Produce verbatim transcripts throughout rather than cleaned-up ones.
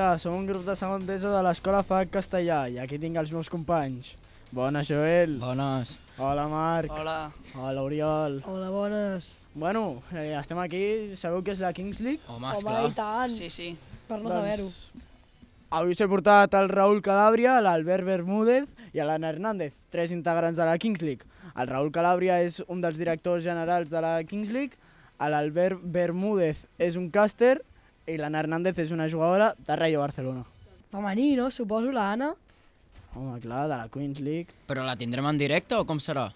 Hola, som un grup de segon d'ESO de l'Escola F A C Castellà i aquí tinc els meus companys. Bones, Joel. Bones. Hola, Marc. Hola. Hola, Oriol. Hola, bones. Bueno, eh, estem aquí, sabeu què és la Kings League? Home, Home, esclar. i tant, Sí, sí. per no saber-ho. Avui s'he portat el Raúl Calàbria, l'Albert Bermúdez i l'Anna Hernández, tres integrants de la Kings League. El Raúl Calàbria és un dels directors generals de la Kings League, l'Albert Bermúdez és un càster i l'Anna Hernández és una jugadora de Rayo Barcelona. Femení, no? Suposo, l'Anna. Home, clar, de la Queens League. Però la tindrem en directe o com serà?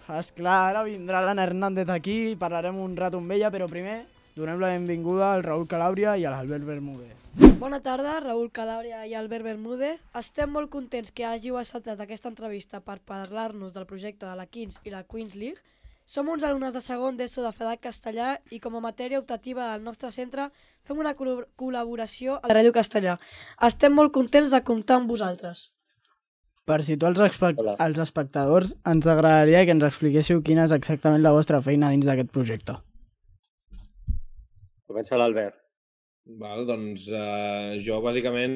Esclar, ara vindrà l'Anna Hernández aquí i parlarem un rato amb ella, però primer donem la benvinguda al Raúl Calàbria i a l'Albert Bermúdez. Bona tarda, Raúl Calàbria i Albert Bermúdez. Estem molt contents que hàgiu acceptat aquesta entrevista per parlar-nos del projecte de la Kings i la Queens League. Som uns alumnes de segon d'ESO de F A C Castellà i com a matèria optativa del nostre centre fem una col col·laboració a la Ràdio Castellà. Estem molt contents de comptar amb vosaltres. Per situar els, els espectadors, ens agradaria que ens expliquéssiu quina és exactament la vostra feina dins d'aquest projecte. Comença l'Albert. Val, doncs eh, jo bàsicament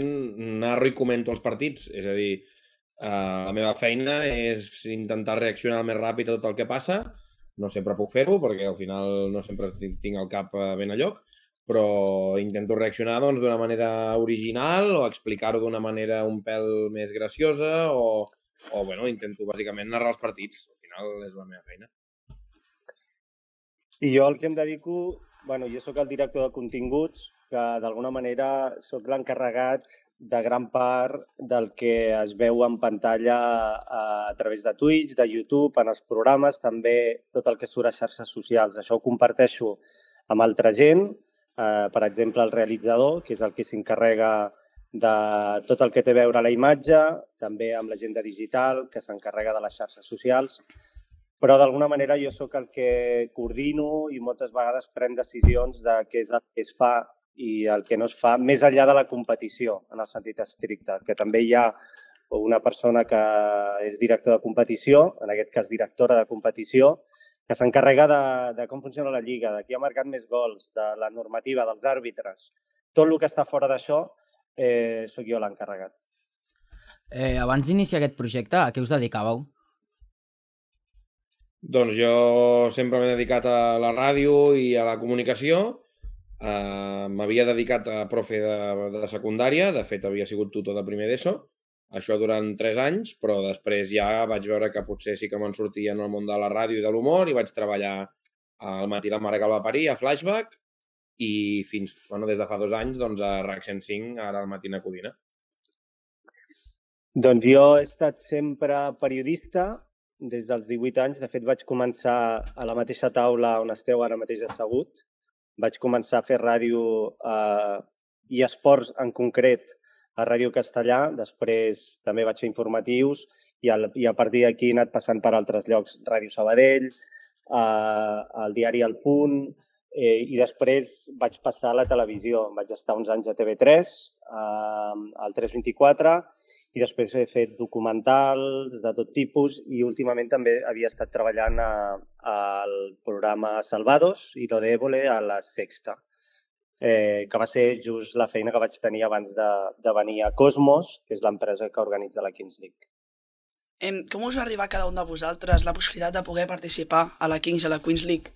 narro i comento els partits, és a dir, eh, la meva feina és intentar reaccionar el més ràpid a tot el que passa. No sempre puc fer-ho perquè al final no sempre tinc el cap ben a lloc, però intento reaccionar doncs, d'una manera original o explicar-ho d'una manera un pèl més graciosa o, o bueno, intento bàsicament narrar els partits. Al final és la meva feina. I jo el que em dedico, bueno, jo sóc el director de continguts, que d'alguna manera sóc l'encarregat de gran part del que es veu en pantalla a, a través de Twitch, de YouTube, en els programes, també tot el que surt a xarxes socials. Això ho comparteixo amb altra gent, eh, per exemple el realitzador, que és el que s'encarrega de tot el que té a veure la imatge, també amb la gent de digital, que s'encarrega de les xarxes socials, però d'alguna manera jo sóc el que coordino i moltes vegades pren decisions de què és el que es fa i el que no es fa, més enllà de la competició, en el sentit estricte, que també hi ha una persona que és director de competició, en aquest cas directora de competició, que s'encarrega de, de com funciona la lliga, de qui ha marcat més gols, de la normativa, dels àrbitres. Tot el que està fora d'això, eh, sóc jo l'encarregat. Eh, abans d'iniciar aquest projecte, a què us dedicàveu? Doncs jo sempre m'he dedicat a la ràdio i a la comunicació. Uh, m'havia dedicat a profe de, de secundària, de fet havia sigut tutor de primer d'ESO, això durant tres anys, però després ja vaig veure que potser sí que me'n sortia en el món de la ràdio i de l'humor i vaig treballar al Matí la mare que el va parir, a Flashback, i fins, bueno, des de fa dos anys doncs, a RAC cent cinc, ara al Matina Codina. Doncs jo he estat sempre periodista des dels divuit anys. De fet, vaig començar a la mateixa taula on esteu ara mateix assegut. Vaig començar a fer ràdio eh, i esports en concret a Ràdio Castellà. Després també vaig fer informatius i, al, i a partir d'aquí he anat passant per altres llocs. Ràdio Sabadell, eh, el diari El Punt, eh, i després vaig passar a la televisió. Vaig estar uns anys a T V tres, eh, al tres vint-i-quatre, i després he fet documentals de tot tipus i últimament també havia estat treballant al programa Salvados i Lo de Évole a la Sexta, eh, que va ser just la feina que vaig tenir abans de, de venir a Cosmos, que és l'empresa que organitza la Kings League. Em, com us va arribar a cada un de vosaltres la possibilitat de poder participar a la Kings i a la Queens League?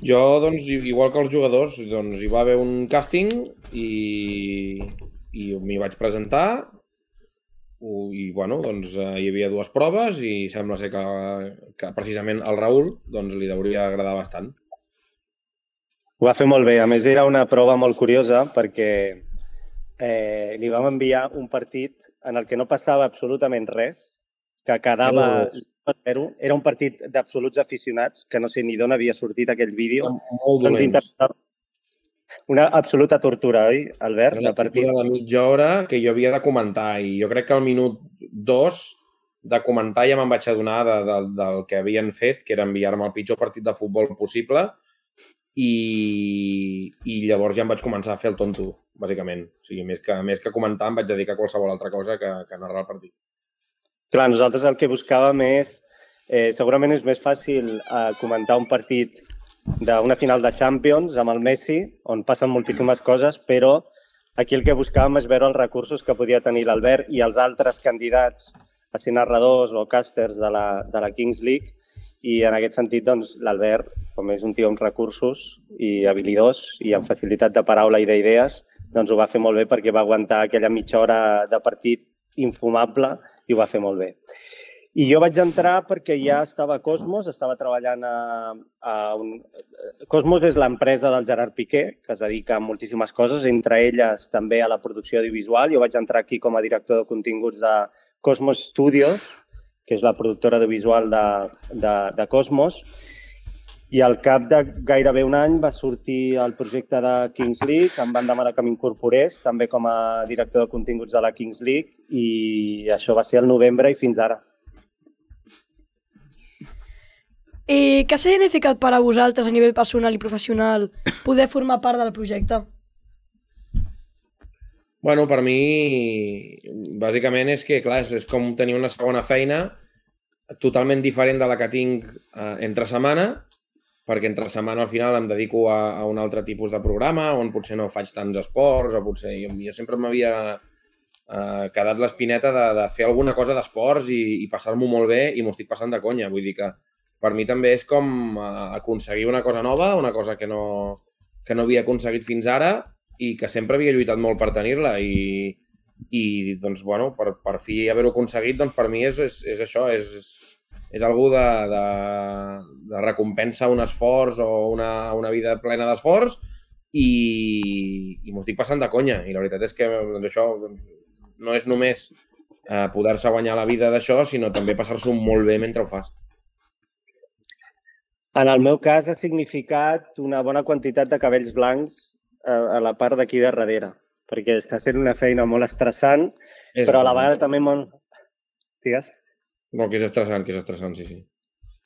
Jo, doncs, igual que els jugadors, doncs, hi va haver un càsting i... i m'hi vaig presentar i, bueno, doncs hi havia dues proves i sembla ser que, que precisament al Raúl doncs, li hauria agradar bastant. Ho va fer molt bé. A més, era una prova molt curiosa perquè eh, li vam enviar un partit en el que no passava absolutament res, que quedava zero. Era un partit d'absoluts aficionats, que no sé ni d'on havia sortit aquell vídeo. Molt dolents. Una absoluta tortura, oi, Albert? Una tortura de mitja hora que jo havia de comentar i jo crec que al minut dos de comentar ja me'n vaig adonar de, de, del que havien fet, que era enviar-me el pitjor partit de futbol possible i, i llavors ja em vaig començar a fer el tonto, bàsicament. O sigui, més que, més que comentar em vaig dedicar a qualsevol altra cosa que, que narrar el partit. Clar, nosaltres el que buscàvem és... Eh, segurament és més fàcil eh, comentar un partit d'una final de Champions amb el Messi, on passen moltíssimes coses, però aquí el que buscàvem és veure els recursos que podia tenir l'Albert i els altres candidats a ser narradors o càsters de la, de la Kings League, i en aquest sentit doncs, l'Albert, com és un tio amb recursos i habilidós i amb facilitat de paraula i d'idees, doncs ho va fer molt bé perquè va aguantar aquella mitja hora de partit infumable i ho va fer molt bé. I jo vaig entrar perquè ja estava a Cosmos, estava treballant a, a un... Cosmos és l'empresa del Gerard Piqué, que es dedica a moltíssimes coses, entre elles també a la producció audiovisual. Jo vaig entrar aquí com a director de continguts de Cosmos Studios, que és la productora audiovisual de, de, de Cosmos, i al cap de gairebé un any va sortir el projecte de Kings League, em van demanar que m'incorporés també com a director de continguts de la Kings League, i això va ser el novembre i fins ara. I què ha significat per a vosaltres a nivell personal i professional poder formar part del projecte? Bueno, per mi, bàsicament és que, clar, és com tenir una segona feina totalment diferent de la que tinc eh, entre setmana, perquè entre setmana al final em dedico a, a un altre tipus de programa on potser no faig tants esports, o potser jo, jo sempre m'havia eh, quedat l'espineta de, de fer alguna cosa d'esports i, i passar-m'ho molt bé, i m'ho estic passant de conya. Vull dir que per mi també és com aconseguir una cosa nova, una cosa que no, que no havia aconseguit fins ara i que sempre havia lluitat molt per tenir-la, i, i doncs, bueno, per, per fi haver-ho aconseguit, doncs per mi és, és, és això, és, és algú de, de, de recompensa un esforç o una, una vida plena d'esforç, i, i m'ho estic passant de conya. I la veritat és que doncs, això doncs, no és només eh, poder-se guanyar la vida d'això, sinó també passar-s'ho molt bé mentre ho fas. En el meu cas ha significat una bona quantitat de cabells blancs a la part d'aquí de darrere, perquè està sent una feina molt estressant, és però a la vegada també molt... Digues? No, que és estressant, que és estressant, sí, sí.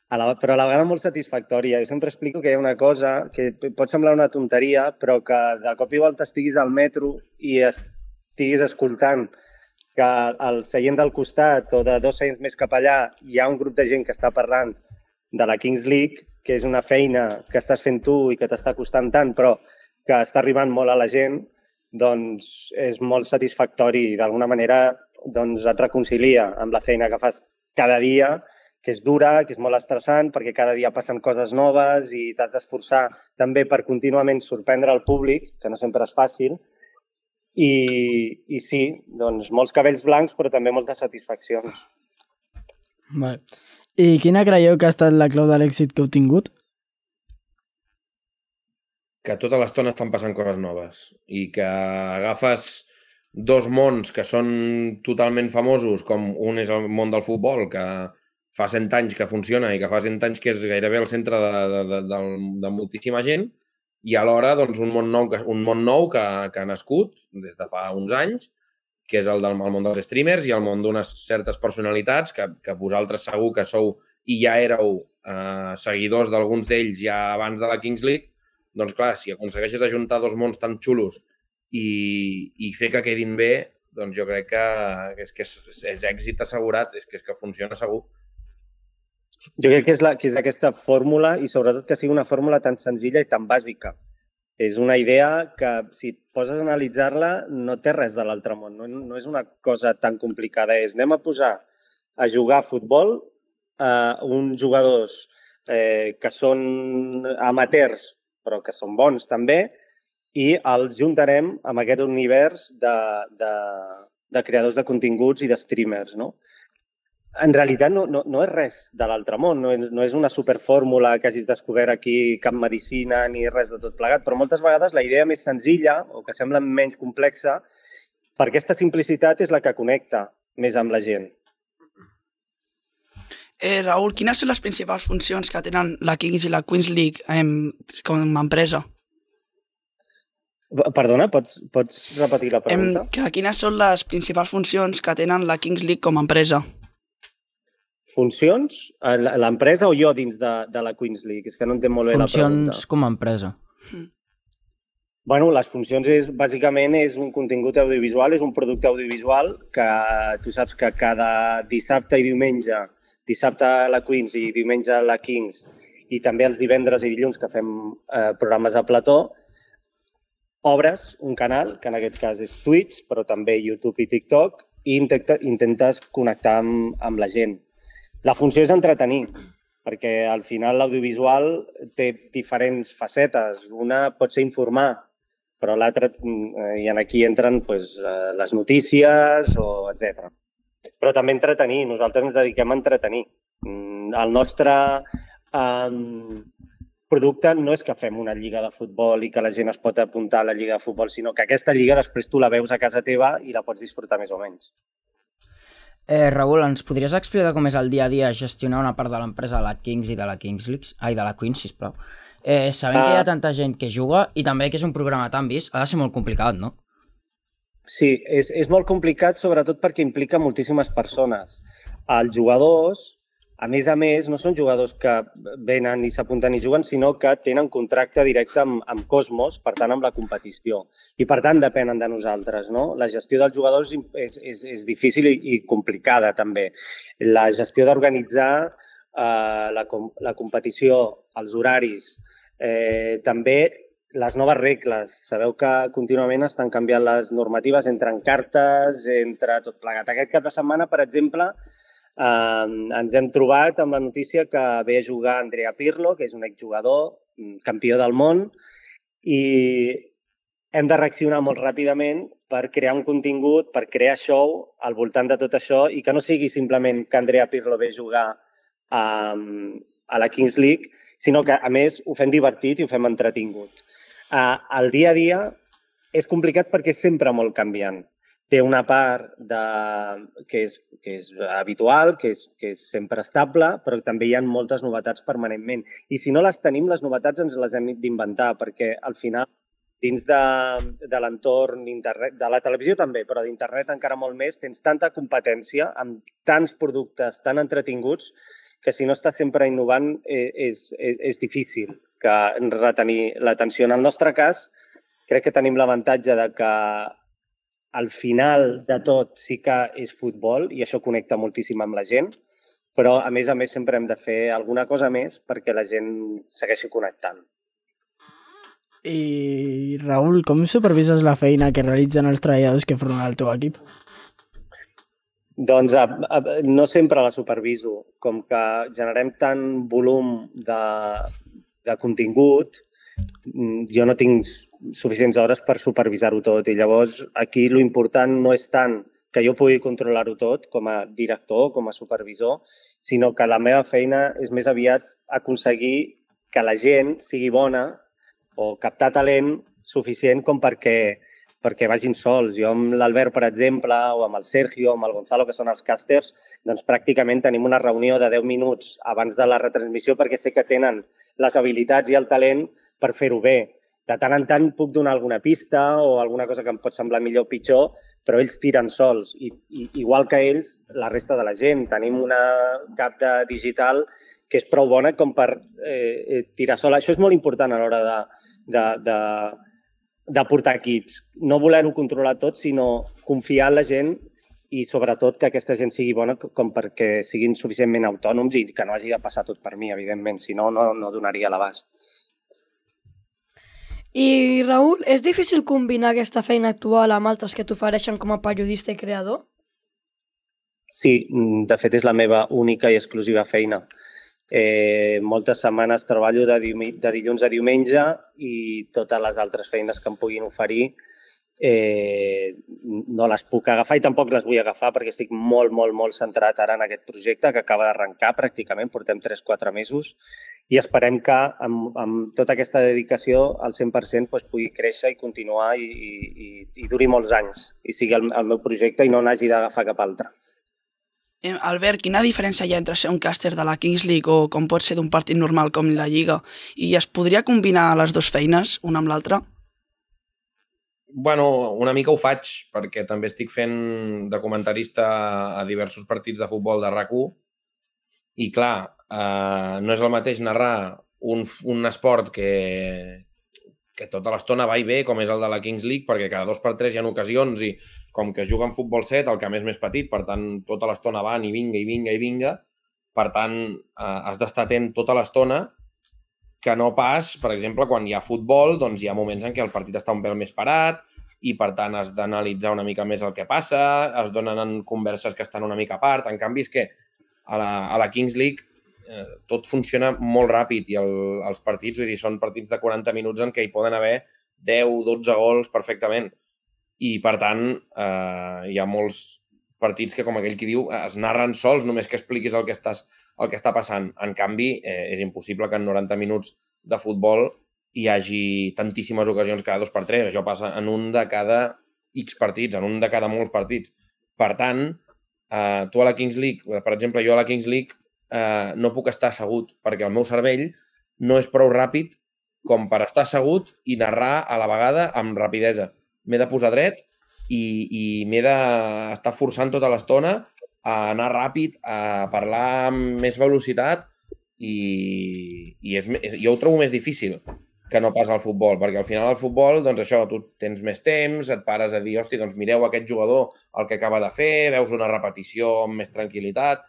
A la, però a la vegada molt satisfactòria. Jo sempre explico que hi ha una cosa que pot semblar una tonteria, però que de cop i volta estiguis al metro i estiguis escoltant que al seient del costat o de dos seients més cap allà hi ha un grup de gent que està parlant de la Kings League, que és una feina que estàs fent tu i que t'està costant tant, però que està arribant molt a la gent, doncs és molt satisfactori i d'alguna manera doncs, et reconcilia amb la feina que fas cada dia, que és dura, que és molt estressant, perquè cada dia passen coses noves i t'has d'esforçar també per contínuament sorprendre el públic, que no sempre és fàcil. I, i sí, doncs molts cabells blancs, però també moltes satisfaccions. Vale. I quina creieu que ha estat la clau de l'èxit que heu tingut? Que tota l'estona estan passant coses noves i que agafes dos mons que són totalment famosos, com un és el món del futbol, que fa cent anys que funciona i que fa cent anys que és gairebé el centre de, de, de, de, de moltíssima gent, i alhora doncs, un món nou, que, un món nou que, que ha nascut des de fa uns anys, que és el del el món dels streamers i el món d'unes certes personalitats que, que vosaltres segur que sou i ja éreu eh, seguidors d'alguns d'ells ja abans de la Kings League. Doncs clar, si aconsegueixes ajuntar dos mons tan xulos i, i fer que quedin bé, doncs jo crec que, que, és, que és, és èxit assegurat, és que, és que funciona segur. Jo crec que és, la, que és aquesta fórmula i sobretot que sigui una fórmula tan senzilla i tan bàsica. És una idea que, si et poses a analitzar-la, no té res de l'altre món. No, no és una cosa tan complicada. És anem a posar a jugar a futbol a uns jugadors eh, que són amateurs però que són bons també, i els juntarem amb aquest univers de, de, de creadors de continguts i de streamers, no? En realitat no, no, no és res de l'altre món, no és, no és una superfórmula que hagis descobert aquí, cap medicina ni res de tot plegat, però moltes vegades la idea més senzilla, o que sembla menys complexa, per aquesta simplicitat és la que connecta més amb la gent. Eh, Raül, quines són les principals funcions que tenen la Kings i la Queens League eh, com a empresa? Perdona, pots, pots repetir la pregunta? Eh, que quines són les principals funcions que tenen la Kings League com a empresa? Funcions? L'empresa o jo dins de, de la Queens League? És que no entenc molt bé la pregunta. Funcions com a empresa. Mm. Bueno, les funcions és, bàsicament, és un contingut audiovisual, és un producte audiovisual que tu saps que cada dissabte i diumenge, dissabte a la Queens i diumenge a la Kings, i també els divendres i dilluns que fem eh, programes a plató, obres un canal, que en aquest cas és Twitch, però també YouTube i TikTok, i intenta, intentes connectar amb, amb la gent. La funció és entretenir, perquè al final l'audiovisual té diferents facetes. Una pot ser informar, però l'altra, i aquí entren pues, les notícies, o etcètera. Però també entretenir, nosaltres ens dediquem a entretenir. El nostre um, producte no és que fem una lliga de futbol i que la gent es pot apuntar a la lliga de futbol, sinó que aquesta lliga després tu la veus a casa teva i la pots disfrutar més o menys. Eh, Raül, ens podries explicar com és el dia a dia gestionar una part de l'empresa de la Kings i de la Kings League? Ai, de la Queens, sisplau. Eh, sabem uh, que hi ha tanta gent que juga i també que és un programa tan vist, ha de ser molt complicat, no? Sí, és, és molt complicat, sobretot perquè implica moltíssimes persones. Els jugadors, a més a més, no són jugadors que venen i s'apunten i juguen, sinó que tenen contracte directe amb, amb Cosmos, per tant, amb la competició. I, per tant, depenen de nosaltres, no? La gestió dels jugadors és, és, és difícil i, i complicada, també. La gestió d'organitzar eh, la, la competició, els horaris, eh, també les noves regles. Sabeu que contínuament estan canviant les normatives, entren cartes, entre tot plegat. Aquest cap de setmana, per exemple, eh, ens hem trobat amb la notícia que ve a jugar Andrea Pirlo, que és un exjugador, campió del món, i hem de reaccionar molt ràpidament per crear un contingut, per crear show al voltant de tot això i que no sigui simplement que Andrea Pirlo ve a jugar a, a la Kings League, sinó que, a més, ho fem divertit i ho fem entretingut. Uh, el dia a dia és complicat perquè és sempre molt canviant. Té una part de, que, és, que és habitual, que és, que és sempre estable, però també hi ha moltes novetats permanentment. I si no les tenim, les novetats ens les hem d'inventar, perquè al final, dins de, de l'entorn internet, de la televisió també, però d'internet encara molt més, tens tanta competència amb tants productes tan entretinguts que si no estàs sempre innovant és, és, és difícil que retenir l'atenció. En el nostre cas, crec que tenim l'avantatge de que al final de tot sí que és futbol i això connecta moltíssim amb la gent, però a més a més sempre hem de fer alguna cosa més perquè la gent segueixi connectant. I Raül, com supervises la feina que realitzen els treballadors que formen el teu equip? Doncs a, a, no sempre la superviso. Com que generem tant volum de, de contingut, jo no tinc suficients hores per supervisar-ho tot. I llavors aquí l'important no és tant que jo pugui controlar-ho tot com a director, com a supervisor, sinó que la meva feina és més aviat aconseguir que la gent sigui bona o captar talent suficient com perquè perquè vagin sols. Jo amb l'Albert, per exemple, o amb el Sergio, amb el Gonzalo, que són els càsters, doncs pràcticament tenim una reunió de deu minuts abans de la retransmissió perquè sé que tenen les habilitats i el talent per fer-ho bé. De tant en tant puc donar alguna pista o alguna cosa que em pot semblar millor o pitjor, però ells tiren sols. I, i igual que ells, la resta de la gent. Tenim una cap de digital que és prou bona com per eh, tirar sola. Això és molt important a l'hora de, de, de de portar equips. No voler-ho controlar tot, sinó confiar en la gent i sobretot que aquesta gent sigui bona com perquè siguin suficientment autònoms i que no hagi de passar tot per mi, evidentment, si no, no, no donaria l'abast. I, Raül, és difícil combinar aquesta feina actual amb altres que t'ofereixen com a periodista i creador? Sí, de fet és la meva única i exclusiva feina. Eh, moltes setmanes treballo de, de dilluns a diumenge i totes les altres feines que em puguin oferir eh, no les puc agafar i tampoc les vull agafar perquè estic molt, molt, molt centrat ara en aquest projecte que acaba d'arrencar pràcticament, portem tres o quatre mesos i esperem que amb, amb tota aquesta dedicació al cent per cent doncs, pugui créixer i continuar i, i, i duri molts anys i sigui el, el meu projecte i no n'hagi d'agafar cap altre. Albert, quina diferència hi ha entre ser un càster de la Kings League o com pot ser d'un partit normal com la Lliga? I es podria combinar les dues feines, una amb l'altra? Bueno, una mica ho faig, perquè també estic fent de comentarista a diversos partits de futbol de RAC u i clar, eh, no és el mateix narrar un, un esport que, que tota l'estona va i ve, com és el de la Kings League, perquè cada dos per tres hi ha ocasions i com que es juga en futbol set, el camp és més petit, per tant, tota l'estona van i vinga, i vinga, i vinga. Per tant, eh, has d'estar atent tota l'estona que no pas, per exemple, quan hi ha futbol, doncs hi ha moments en què el partit està un pèl més parat i, per tant, has d'analitzar una mica més el que passa, es donen converses que estan una mica a part. En canvi, és que a la, a la Kings League eh, tot funciona molt ràpid i el, els partits, vull dir, són partits de quaranta minuts en què hi poden haver deu dotze gols perfectament. I, per tant, eh, hi ha molts partits que, com aquell qui diu, es narren sols, només que expliquis el que, estàs, el que està passant. En canvi, eh, és impossible que en noranta minuts de futbol hi hagi tantíssimes ocasions cada dos per tres. Això passa en un de cada X partits, en un de cada molts partits. Per tant, eh, tu a la Kings League, per exemple, jo a la Kings League eh, no puc estar assegut perquè el meu cervell no és prou ràpid com per estar assegut i narrar a la vegada amb rapidesa. M'he de posar dret i, i m'he d'estar forçant tota l'estona a anar ràpid, a parlar amb més velocitat i, i és, és, jo ho trobo més difícil que no pas al futbol, perquè al final al futbol, doncs això, tu tens més temps, et pares a dir, hosti, doncs mireu aquest jugador el que acaba de fer, veus una repetició amb més tranquil·litat,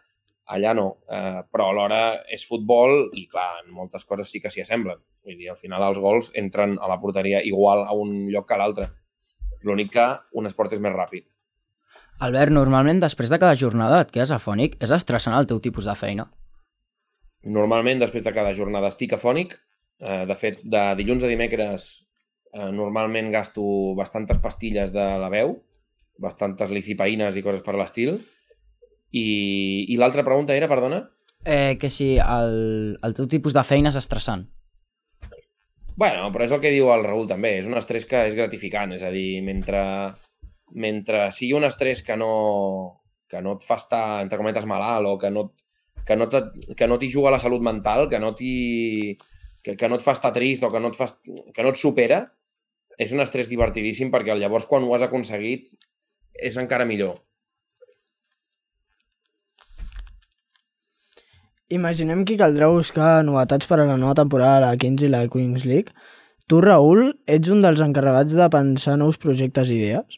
allà no, eh, però alhora és futbol i clar, en moltes coses sí que s'hi assemblen, vull dir, al final els gols entren a la porteria igual a un lloc que a l'altre. L'únic que un esport és més ràpid. Albert, normalment després de cada jornada et quedes afònic? És estressant el teu tipus de feina? Normalment després de cada jornada estic afònic. Eh, de fet, de dilluns a dimecres eh, normalment gasto bastantes pastilles de la veu, bastantes licipaïnes i coses per l'estil. I, i l'altra pregunta era, perdona? Eh, que si el, el teu tipus de feina és estressant. Bueno, però és el que diu el Raül també, és un estrès que és gratificant, és a dir, mentre, mentre sigui un estrès que no, que no et fa estar, entre cometes, malalt o que no, que no, que no t'hi juga la salut mental, que no, que, que no et fa estar trist o que no et, fa, que no et supera, és un estrès divertidíssim perquè llavors quan ho has aconseguit és encara millor. Imaginem que caldrà buscar novetats per a la nova temporada de la Kings i la Queens League. Tu, Raül, ets un dels encarregats de pensar nous projectes i idees?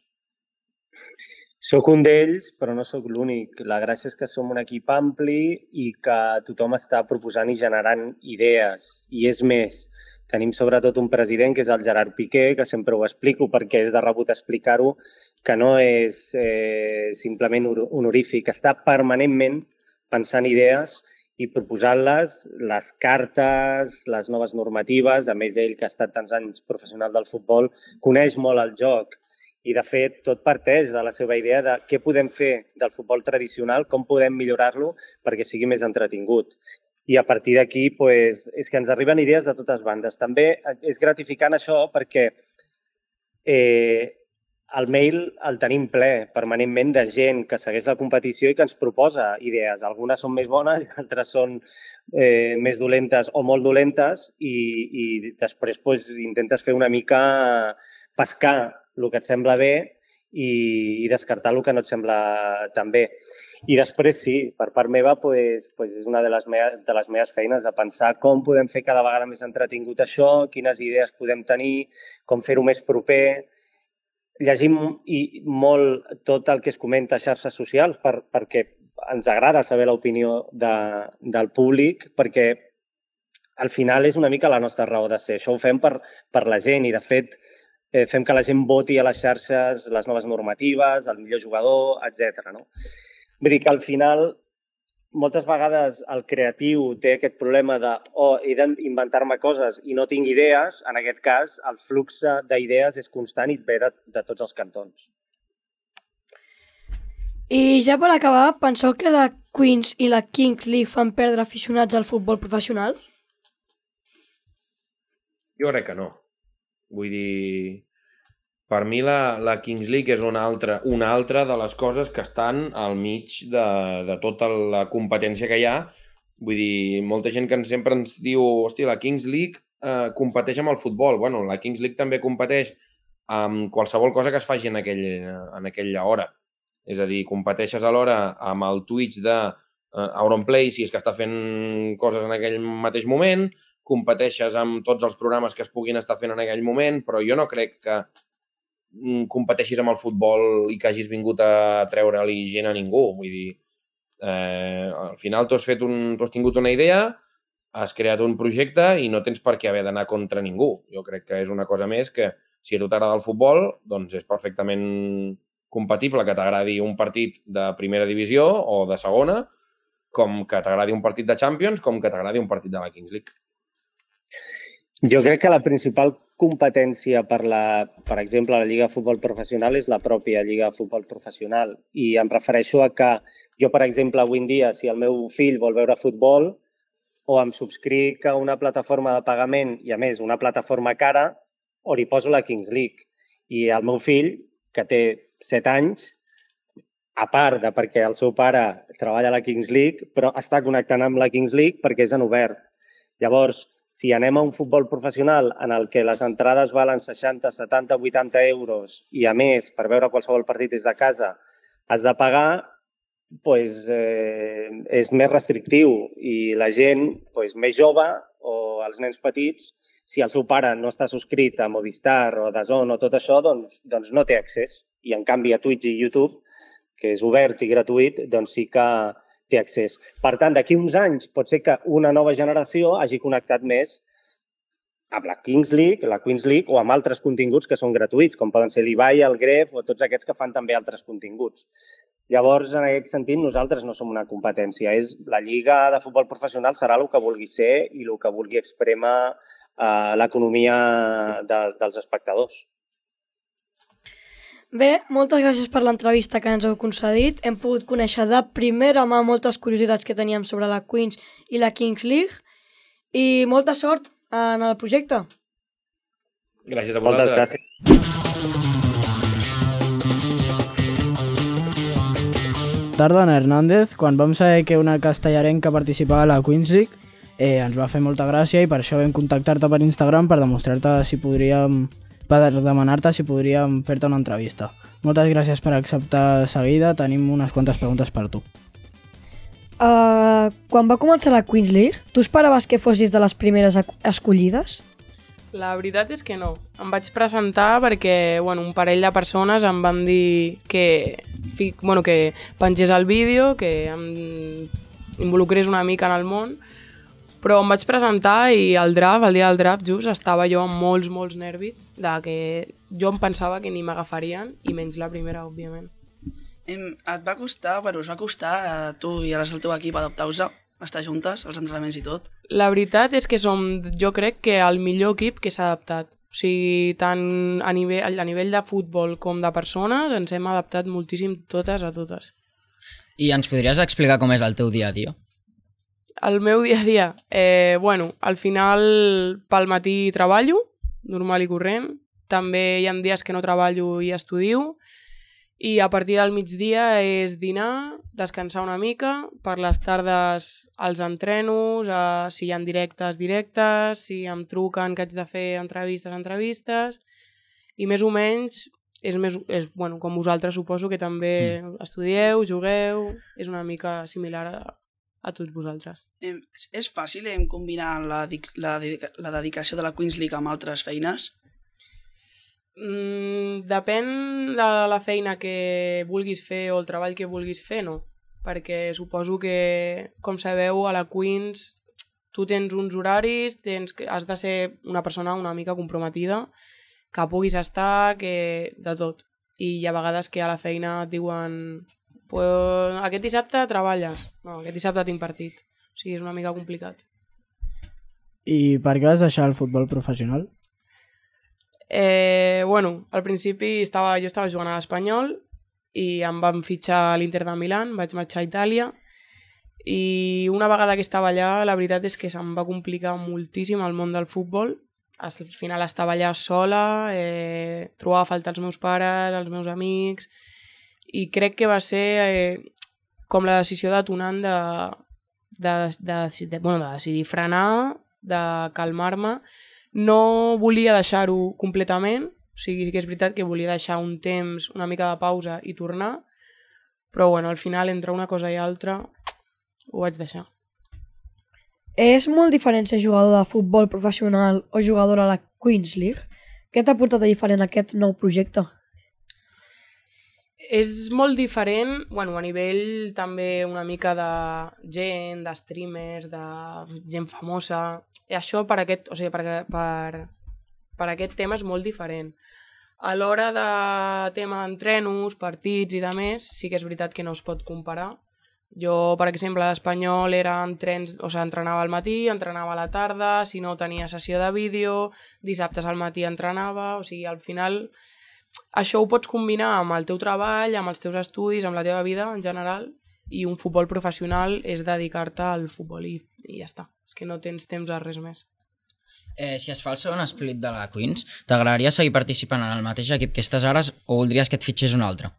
Soc un d'ells, però no sóc l'únic. La gràcia és que som un equip ampli i que tothom està proposant i generant idees. I és més, tenim sobretot un president, que és el Gerard Piqué, que sempre ho explico perquè és de rebut explicar-ho, que no és eh, simplement honorífic, està permanentment pensant idees i proposant-les, les cartes, les noves normatives. A més, ell, que ha estat tants anys professional del futbol, coneix molt el joc i, de fet, tot parteix de la seva idea de què podem fer del futbol tradicional, com podem millorar-lo perquè sigui més entretingut. I a partir d'aquí, pues, és que ens arriben idees de totes bandes. També és gratificant això perquè eh, el mail el tenim ple permanentment de gent que segueix la competició i que ens proposa idees. Algunes són més bones i altres són eh, més dolentes o molt dolentes i, i després pues, intentes fer una mica pescar el que et sembla bé i, i descartar el que no et sembla tan bé. I després sí, per part meva pues, pues és una de les, meves, de les meves feines de pensar com podem fer cada vegada més entretingut això, quines idees podem tenir, com fer-ho més proper. Llegim i molt tot el que es comenta a xarxes socials per, perquè ens agrada saber l'opinió de, del públic, perquè al final és una mica la nostra raó de ser. Això ho fem per, per la gent i, de fet, eh, fem que la gent voti a les xarxes les noves normatives, el millor jugador, etcètera. No? Vull dir que al final moltes vegades el creatiu té aquest problema de oh, he d'inventar-me coses i no tinc idees. En aquest cas, el flux d'idees és constant i ve de, de tots els cantons. I ja per acabar, penseu que la Queens i la Kings League fan perdre aficionats al futbol professional? Jo crec que no. Vull dir, per mi la, la Kings League és una altra, una altra de les coses que estan al mig de, de tota la competència que hi ha. Vull dir, molta gent que sempre ens diu hòstia, la Kings League eh, competeix amb el futbol. Bueno, la Kings League també competeix amb qualsevol cosa que es faci en, aquell, en aquella hora. És a dir, competeixes alhora amb el Twitch de eh, Auronplay, si és que està fent coses en aquell mateix moment, competeixes amb tots els programes que es puguin estar fent en aquell moment, però jo no crec que competeixis amb el futbol i que hagis vingut a treure-li gent a ningú. Vull dir, eh, al final tu has, fet un, tu has tingut una idea has creat un projecte i no tens per què haver d'anar contra ningú. Jo crec que és una cosa més que, si a tu t'agrada el futbol, doncs és perfectament compatible que t'agradi un partit de primera divisió o de segona, com que t'agradi un partit de Champions, com que t'agradi un partit de la Kings League. Jo crec que la principal competència per, la, per exemple, la Lliga de Futbol Professional és la pròpia Lliga de Futbol Professional. I em refereixo a que jo, per exemple, avui en dia, si el meu fill vol veure futbol, o em subscric a una plataforma de pagament, i a més, una plataforma cara, o li poso la Kings League. I el meu fill, que té set anys, a part de perquè el seu pare treballa a la Kings League, però està connectant amb la Kings League perquè és en obert. Llavors, si anem a un futbol professional en el que les entrades valen seixanta, setanta, vuitanta euros i, a més, per veure qualsevol partit des de casa, has de pagar, doncs, eh, és més restrictiu i la gent doncs, més jove o els nens petits, si el seu pare no està subscrit a Movistar o a D A Z N o tot això, doncs, doncs no té accés. I, en canvi, a Twitch i YouTube, que és obert i gratuït, doncs sí que té accés. Per tant, d'aquí uns anys pot ser que una nova generació hagi connectat més amb la Kings League, la Queens League o amb altres continguts que són gratuïts, com poden ser l'Ibai, el Gref o tots aquests que fan també altres continguts. Llavors, en aquest sentit, nosaltres no som una competència. És la Lliga de Futbol Professional serà el que vulgui ser i el que vulgui exprémer eh, l'economia de, dels espectadors. Bé, moltes gràcies per l'entrevista que ens heu concedit. Hem pogut conèixer de primera mà moltes curiositats que teníem sobre la Queens i la Kings League i molta sort en el projecte. Gràcies a Moltes vosaltres. gràcies. Tardana Hernández, quan vam saber que una castellarenca participava a la Queens League, eh, ens va fer molta gràcia i per això vam contactar-te per Instagram per demostrar-te si podríem, per demanar-te si podríem fer-te una entrevista. Moltes gràcies per acceptar seguida, tenim unes quantes preguntes per tu. Uh, quan va començar la Queens League, tu esperaves que fossis de les primeres escollides? La veritat és que no. Em vaig presentar perquè bueno, un parell de persones em van dir que, bueno, que pengés el vídeo, que em involucrés una mica en el món, però em vaig presentar i el draft, el dia del draft just, estava jo amb molts, molts nervis, de que jo em pensava que ni m'agafarien, i menys la primera, òbviament. Em, et va costar, bueno, us va costar a tu i a les del teu equip adaptar-vos, estar juntes, els entrenaments i tot? La veritat és que som, jo crec que el millor equip que s'ha adaptat. O sigui, tant a nivell, a nivell de futbol com de persones, ens hem adaptat moltíssim totes a totes. I ens podries explicar com és el teu dia a dia? El meu dia a dia? Eh, bueno, al final pel matí treballo, normal i corrent. També hi ha dies que no treballo i estudio. I a partir del migdia és dinar, descansar una mica, per les tardes els entrenos, eh, si hi ha directes, directes, si em truquen que haig de fer entrevistes, entrevistes, i més o menys és, més, és bueno, com vosaltres suposo que també mm. estudieu, jugueu, és una mica similar a, a tots vosaltres. Eh, és fàcil eh, combinar la, la, la dedicació de la Queens League amb altres feines? Mm, depèn de la feina que vulguis fer o el treball que vulguis fer, no. Perquè suposo que, com sabeu, a la Queens tu tens uns horaris, tens, has de ser una persona una mica comprometida, que puguis estar, que de tot. I hi ha vegades que a la feina et diuen pues, aquest dissabte treballes, no, aquest dissabte tinc partit. O sigui, és una mica complicat. I per què vas deixar el futbol professional? Eh, bueno, al principi estava, jo estava jugant a l'Espanyol i em van fitxar a l'Inter de Milán, vaig marxar a Itàlia i una vegada que estava allà la veritat és que se'm va complicar moltíssim el món del futbol. Al final estava allà sola, eh, trobava a faltar els meus pares, els meus amics i crec que va ser eh, com la decisió detonant de, de, de, de, bueno, de decidir frenar, de calmar-me. No volia deixar-ho completament, o sigui, sí que és veritat que volia deixar un temps, una mica de pausa i tornar, però bueno, al final, entre una cosa i altra, ho vaig deixar. És molt diferent ser jugador de futbol professional o jugador a la Queens League? Què t'ha portat a diferent aquest nou projecte? És molt diferent, bueno, a nivell també una mica de gent, de streamers, de gent famosa. I això per aquest, o sigui, per, per, per aquest tema és molt diferent. A l'hora de tema d'entrenos, partits i de més, sí que és veritat que no es pot comparar. Jo, per exemple, a l'Espanyol era entrens, o sigui, entrenava al matí, entrenava a la tarda, si no tenia sessió de vídeo, dissabtes al matí entrenava, o sigui, al final això ho pots combinar amb el teu treball, amb els teus estudis, amb la teva vida en general, i un futbol professional és dedicar-te al futbol i, i ja està. És que no tens temps a res més. Eh, si es fa el segon split de la Queens, t'agradaria seguir participant en el mateix equip que estàs ara o voldries que et fitxés un altre?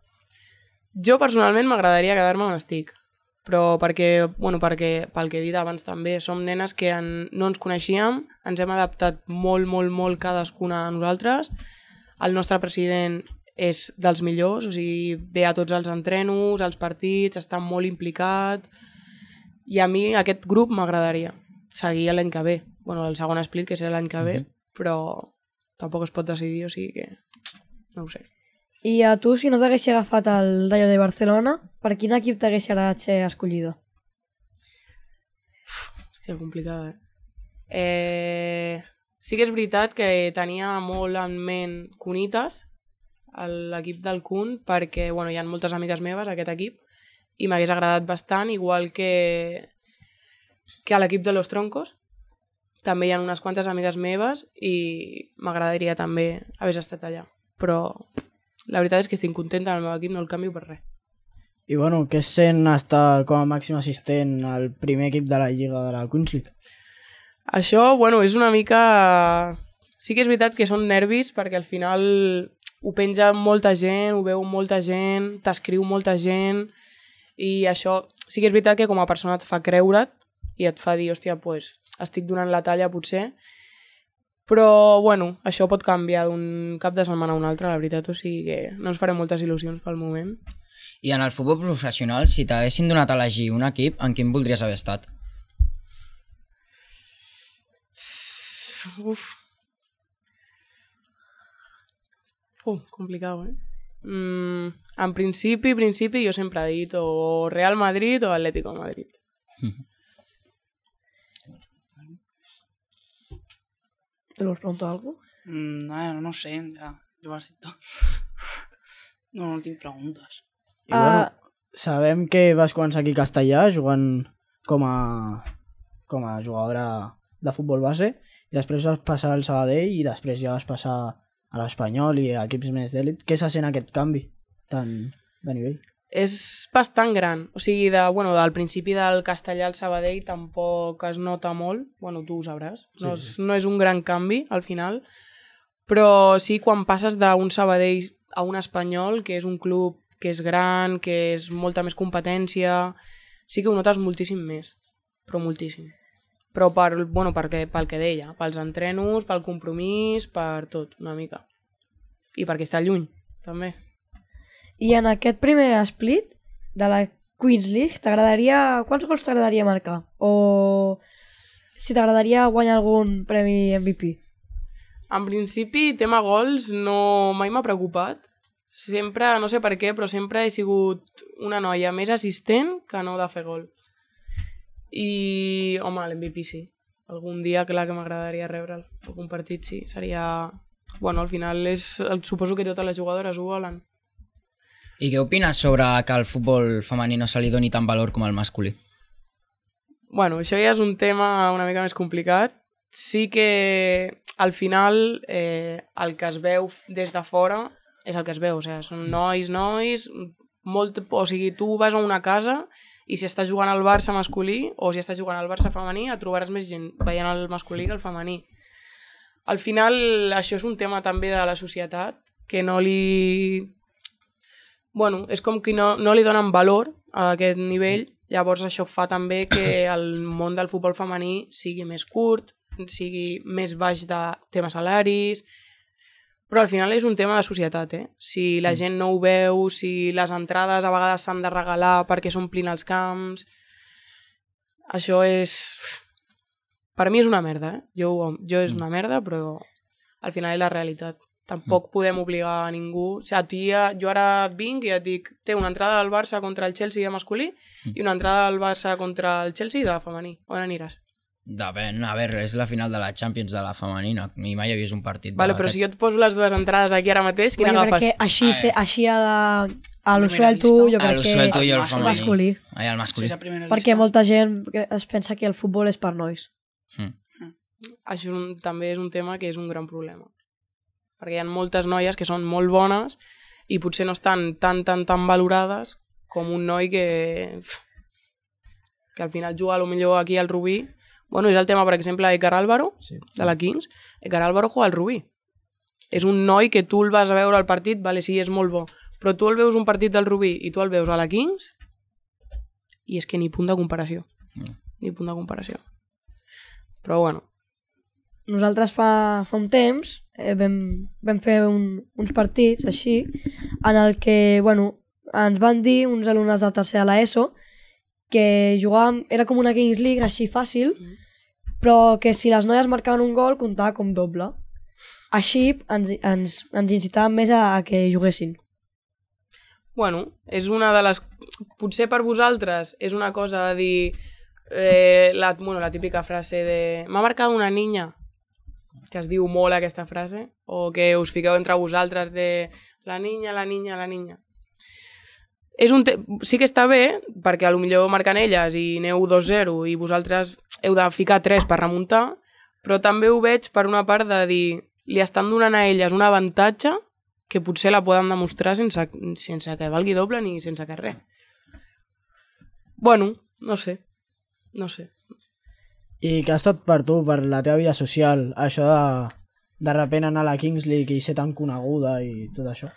Jo personalment m'agradaria quedar-me on estic, però perquè, bueno, perquè, pel que he dit abans també, som nenes que en, no ens coneixíem, ens hem adaptat molt, molt, molt cadascuna a nosaltres. El nostre president és dels millors, o sigui, ve a tots els entrenos, als partits, està molt implicat, i a mi aquest grup m'agradaria seguir l'any que ve. Bueno, el segon split, que serà l'any que ve, mm-hmm. però tampoc es pot decidir, o sigui que no ho sé. I a tu, si no t'haguessi agafat el Rayo de Barcelona, per quin equip t'haguessi agradat ser escollido? Hòstia, complicada, eh? Eh... Sí que és veritat que tenia molt en ment Cunitas, l'equip del Kun, perquè bueno, hi ha moltes amigues meves a aquest equip i m'hagués agradat bastant, igual que, que a l'equip de Los Troncos. També hi ha unes quantes amigues meves i m'agradaria també haver estat allà. Però la veritat és que estic contenta amb el meu equip, no el canvio per res. I bueno, què es sent estar com a màxim assistent al primer equip de la Lliga de la Queens League? Això, bueno, és una mica... Sí que és veritat que són nervis perquè al final ho penja molta gent, ho veu molta gent, t'escriu molta gent i això sí que és veritat que com a persona et fa creure't i et fa dir, hòstia, pues, estic donant la talla potser, però bueno, això pot canviar d'un cap de setmana a un altre, la veritat, o sigui que no ens farem moltes il·lusions pel moment. I en el futbol professional, si t'haguessin donat a elegir un equip, en quin voldries haver estat? Uf. Uf, complicat, eh? Mm, en principi, principi, jo sempre he dit o Real Madrid o Atlético de Madrid. Mm. ¿Te lo pregunto algo? Mm, no, no sé, ja, ja ho has dit tot. No, no tinc preguntes. I uh... bueno, sabem que vas començar aquí a Castellà jugant com a, com a jugadora de futbol base i després vas passar al Sabadell i després ja vas passar a l'Espanyol i a equips més d'èlit. Què se sent aquest canvi tant de nivell? És bastant gran. O sigui, de, bueno, del principi del Castellà al Sabadell tampoc es nota molt. Bueno, tu ho sabràs. No, sí, sí. És, no és un gran canvi, al final. Però sí, quan passes d'un Sabadell a un Espanyol, que és un club que és gran, que és molta més competència, sí que ho notes moltíssim més. Però moltíssim. Però per, bueno, perquè, pel que deia, pels entrenos, pel compromís, per tot, una mica. I perquè està lluny, també. I en aquest primer split de la Queens League, t'agradaria... Quants gols t'agradaria marcar? O si t'agradaria guanyar algun premi M V P? En principi, tema gols no mai m'ha preocupat. Sempre, no sé per què, però sempre he sigut una noia més assistent que no de fer gol. I, home, l'M V P sí. Algun dia, clar que m'agradaria rebre'l. Algun partit sí. Seria... Bueno, al final és... suposo que totes les jugadores ho volen. I què opines sobre que al futbol femení no se li doni tant valor com al masculí? Bueno, això ja és un tema una mica més complicat. Sí que al final eh, el que es veu des de fora és el que es veu. O sigui, són nois, nois... Molt... O sigui, tu vas a una casa i si estàs jugant al Barça masculí o si estàs jugant al Barça femení et trobaràs més gent veient el masculí que el femení. Al final això és un tema també de la societat que no li... Bueno, és com que no, no li donen valor a aquest nivell, llavors això fa també que el món del futbol femení sigui més curt, sigui més baix de temes salaris, però al final és un tema de societat, eh? Si la gent no ho veu, si les entrades a vegades s'han de regalar perquè s'omplin els camps, això és... Per mi és una merda, eh? Jo, jo és una merda, però al final és la realitat. Tampoc mm. podem obligar a ningú. O sigui, tia, jo ara vinc i et dic, té una entrada del Barça contra el Chelsea de masculí mm. i una entrada del Barça contra el Chelsea de femení. On aniràs? Depèn, a veure, és la final de la Champions de la femenina. Ni mai he vist un partit vale, però si jo et poso les dues entrades aquí ara mateix, quina bueno, agafes? Perquè així, se, així a la... A l'Usuelto, jo crec que... A l'Usuelto i el femení. Masculí. Ai, el masculí. Sí, perquè molta gent es pensa que el futbol és per nois. Mm. Això és un, també és un tema que és un gran problema. Perquè hi ha moltes noies que són molt bones i potser no estan tan, tan, tan valorades com un noi que... que al final juga a lo millor aquí al Rubí. Bueno, és el tema, per exemple, d'Écar Álvaro, sí. de la Kings. Écar Álvaro juga al Rubí. És un noi que tu el vas a veure al partit, vale, sí, és molt bo, però tu el veus un partit del Rubí i tu el veus a la Kings i és que ni punt de comparació. Mm. Ni punt de comparació. Però bueno. Nosaltres fa, fa un temps eh, vam, vam fer un, uns partits així en el que, bueno, ens van dir uns alumnes de tercer de l'ESO que jugàvem, era com una Kings League així fàcil, mm. però que si les noies marcaven un gol comptava com doble. Així ens, ens, ens incitaven més a, a que juguessin. Bueno, és una de les... Potser per vosaltres és una cosa de dir... Eh, la, bueno, la típica frase de... M'ha marcat una niña, que es diu molt aquesta frase, o que us fiqueu entre vosaltres de la niña, la niña, la niña. És un te... Sí que està bé, perquè potser marquen elles i aneu dos zero i vosaltres heu de ficar tres per remuntar, però també ho veig per una part de dir li estan donant a elles un avantatge que potser la poden demostrar sense, sense que valgui doble ni sense que res. Bueno, no sé, no sé. I què ha estat per tu, per la teva vida social, això de de repent anar a la Kings League i ser tan coneguda i tot això?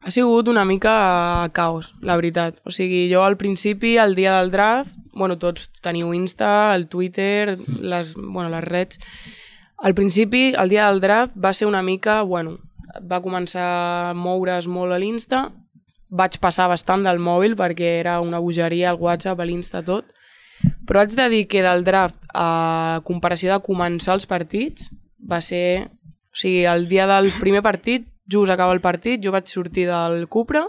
Ha sigut una mica caos, la veritat. O sigui, jo al principi, el dia del draft, bueno, tots teniu Insta, el Twitter, les, bueno, les reds. Al principi, el dia del draft va ser una mica, bueno, va començar a moure's molt a l'Insta, vaig passar bastant del mòbil perquè era una bogeria al WhatsApp, a l'Insta, tot, però haig de dir que del draft a comparació de començar els partits va ser... O sigui, el dia del primer partit, just acaba el partit, jo vaig sortir del Cupra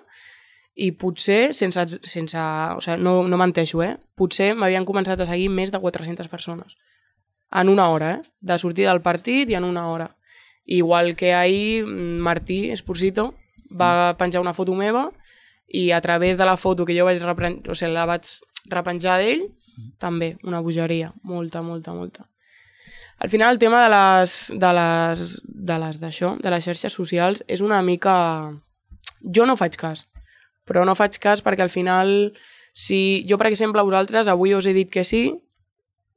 i potser, sense, sense, o sigui, no, no menteixo, eh? Potser m'havien començat a seguir més de quatre-centes persones. En una hora, eh? De sortir del partit i en una hora. Igual que ahir Martí Esposito va penjar una foto meva i a través de la foto que jo vaig, repren... o sigui, la vaig repenjar d'ell, també, una bogeria. Molta, molta, molta. Al final el tema de les de les de les d'això, de les xarxes socials és una mica... Jo no faig cas, però no faig cas perquè al final, si jo per exemple a vosaltres avui us he dit que sí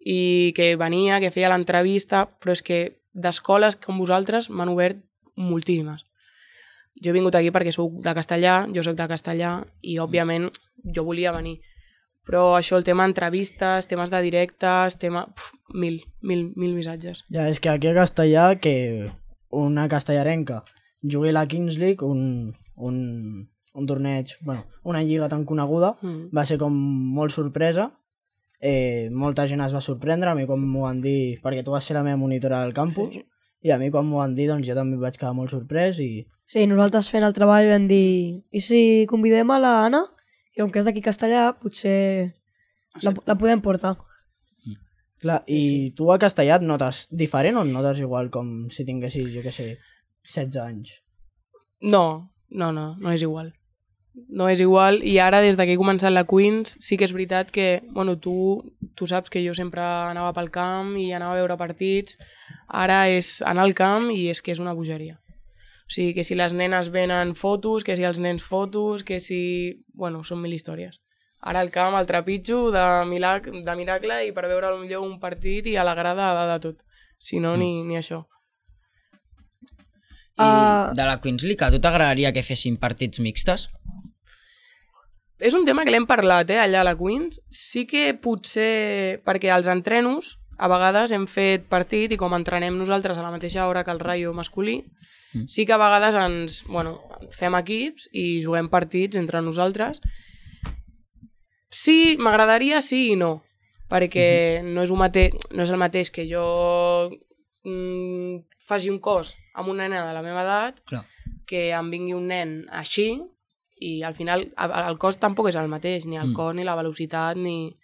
i que venia, que feia l'entrevista, però és que d'escoles com vosaltres m'han obert moltíssimes. Jo he vingut aquí perquè sóc de castellà, jo sóc de castellà i òbviament jo volia venir. Però això, el tema entrevistes, temes de directes, tema... Puf, mil, mil, mil missatges. Ja, és que aquí a Castellà, que una castellarenca jugui a la Kings League, un, un, un torneig, bueno, una lliga tan coneguda, mm. va ser com molt sorpresa. Eh, molta gent es va sorprendre, a mi quan m'ho van dir, perquè tu vas ser la meva monitora del campus, sí. I a mi quan m'ho van dir, doncs jo també vaig quedar molt sorprès. I... Sí, nosaltres fent el treball vam dir, i si convidem a la Anna? I com que és d'aquí Castellà, potser la, la podem portar. Clar, i sí. Tu a Castellà et notes diferent o et notes igual com si tinguessis, jo què sé, setze anys? No, no, no, no és igual. No és igual, i ara des que he començat la Queens sí que és veritat que, bueno, tu, tu saps que jo sempre anava pel camp i anava a veure partits, ara és anar al camp i és que és una bogeria. O sigui, que si les nenes venen fotos, que si els nens fotos, que si... Bueno, són mil històries. Ara al camp el trepitjo de, milac... de miracle i per veure potser un partit i a la grada de, de tot. Si no, mm. ni, ni això. I uh... de la Queens League, a tu t'agradaria que fessin partits mixtes? És un tema que l'hem parlat, eh, allà a la Queens. Sí que potser... Perquè als entrenos, a vegades hem fet partit i com entrenem nosaltres a la mateixa hora que el Rayo masculí, sí que a vegades ens, bueno, fem equips i juguem partits entre nosaltres. Sí, m'agradaria sí i no, perquè uh-huh. no, és un mate... no és el mateix que jo mm, faci un cos amb una nena de la meva edat, Clar. que em vingui un nen així, i al final el cos tampoc és el mateix, ni el Mm. cos, ni la velocitat, ni...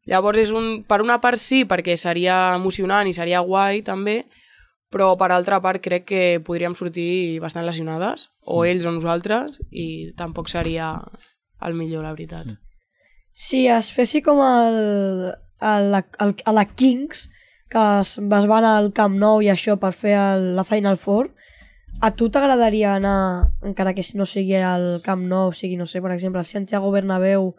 Llavors, és un, per una part sí, perquè seria emocionant i seria guai també, però per altra part crec que podríem sortir bastant lesionades, o Mm. ells o nosaltres, i tampoc seria el millor, la veritat. Mm. Si es fessi com el, el, el, a la Kings, que es, es va anar al Camp Nou i això per fer el, la Final Four, a tu t'agradaria anar, encara que no sigui al Camp Nou, sigui, no sé, per exemple, al Santiago Bernabéu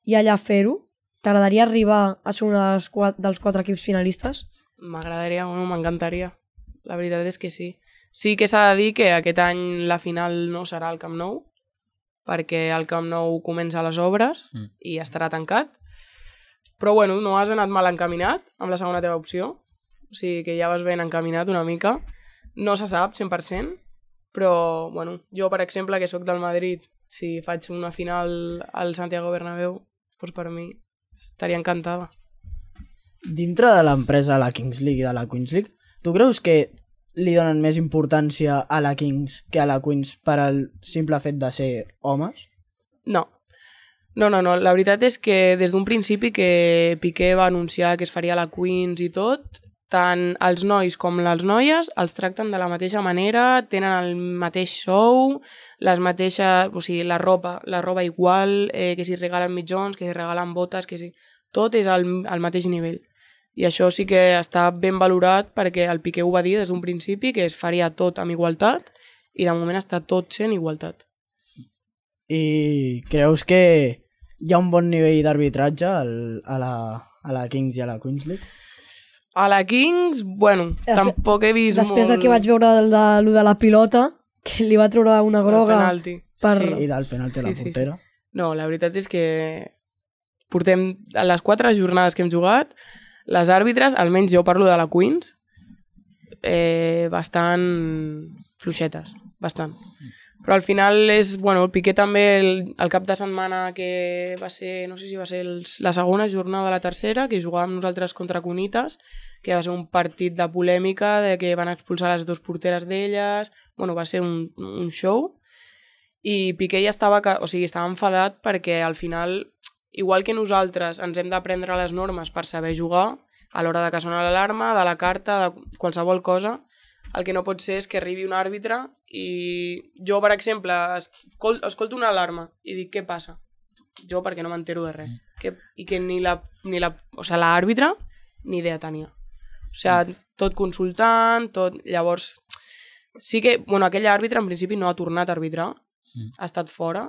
i allà fer-ho? T'agradaria arribar a ser un dels quatre, dels quatre equips finalistes? M'agradaria, bueno, m'encantaria. La veritat és que sí. Sí que s'ha de dir que aquest any la final no serà al Camp Nou, perquè el Camp Nou comença les obres Mm. i estarà tancat. Però bueno, no has anat mal encaminat amb la segona teva opció. O sigui que ja vas ben encaminat una mica. No se sap cent per cent, però bueno, jo, per exemple, que sóc del Madrid, si faig una final al Santiago Bernabéu, doncs per mi estaria encantada. Dintre de l'empresa, la Kings League i de la Queens League, tu creus que li donen més importància a la Kings que a la Queens per al simple fet de ser homes? No. No, no, no. La veritat és que des d'un principi que Piqué va anunciar que es faria la Queens i tot, tant els nois com les noies els tracten de la mateixa manera, tenen el mateix show, les mateixes, o sigui, la roba, la roba igual, eh, que si regalen mitjons, que si regalen botes, que si... Tot és al, al mateix nivell. I això sí que està ben valorat perquè el Piqué ho va dir des d'un principi, que es faria tot amb igualtat, i de moment està tot sent igualtat. I creus que hi ha un bon nivell d'arbitratge al- a, la, a la Kings i a la Queens League? A la Kings, bueno, Despe- tampoc he vist Després molt... del que vaig veure del de, lo de la pilota, que li va treure una del groga... penalti. per- Sí. I del penalti a la Sí, sí, sí. portera? No, la veritat és que portem a les quatre jornades que hem jugat, les àrbitres, almenys jo parlo de la Queens, eh, bastant fluixetes, bastant. Però al final és, bueno, el Piqué també el, el cap de setmana que va ser, no sé si va ser el, la segona jornada de la tercera, que jugàvem nosaltres contra Cunitas, que va ser un partit de polèmica, de que van expulsar les dues porteres d'elles, bueno, va ser un, un show, i Piqué ja estava, o sigui, estava enfadat perquè al final, igual que nosaltres ens hem d'aprendre les normes per saber jugar, a l'hora de que sona l'alarma, de la carta, de qualsevol cosa, el que no pot ser és que arribi un àrbitre i jo, per exemple, escol escolto una alarma i dic, què passa? Jo perquè no m'entero de res. Que, I que ni la, ni la, o sigui, l'àrbitre ni idea tenia. O sigui, tot consultant, tot... Llavors, sí que, bueno, aquell àrbitre en principi no ha tornat a arbitrar, ha estat fora,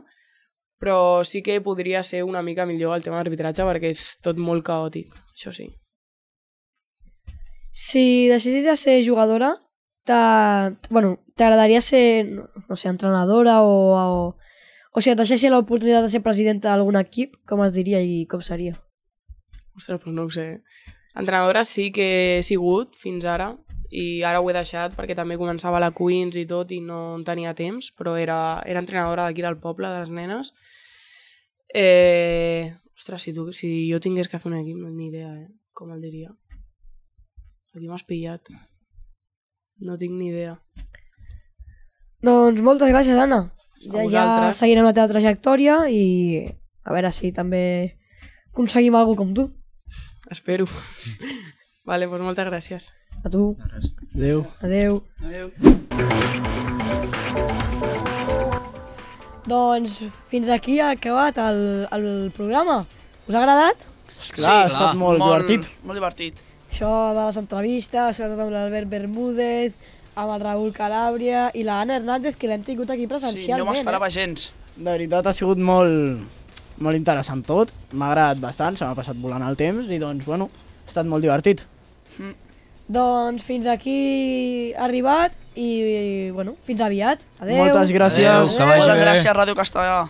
però sí que podria ser una mica millor el tema d'arbitratge perquè és tot molt caòtic, això sí. Si decidis de ser jugadora, t'agradaria bueno, ser, no, no sé, entrenadora o, o... O si et deixessin l'oportunitat de ser presidenta d'algun equip, com es diria i com seria? Ostres, doncs no ho sé. Entrenadora sí que he sigut fins ara i ara ho he deixat perquè també començava la Queens i tot i no en tenia temps, però era, era entrenadora d'aquí del poble, de les nenes. Eh... Ostres, si, tu, si jo tingués que fer un equip, no tinc ni idea, eh? Com el diria. Aquí m'has pillat. No tinc ni idea. Doncs moltes gràcies, Anna. A Ja, ja vosaltres. seguirem la teva trajectòria i a veure si també aconseguim alguna com tu. Espero. Vale, doncs moltes gràcies. A tu. Adéu. Adéu. Adéu. Doncs fins aquí ha acabat el, el programa. Us ha agradat? Esclar, ha estat molt, divertit. Molt divertit. Això de les entrevistes, sobretot amb l'Albert Bermúdez, amb el Raúl Calàbria i la Anna Hernández, que l'hem tingut aquí Sí, no presencialment. m'esperava eh? gens. De veritat ha sigut molt, molt interessant tot. M'ha agradat bastant, se m'ha passat volant el temps i doncs, bueno, ha estat molt divertit. Doncs fins aquí ha arribat i, bueno, fins aviat. Adéu. Moltes gràcies. Adéu, que vagi Moltes bé. gràcies, Ràdio Castellà.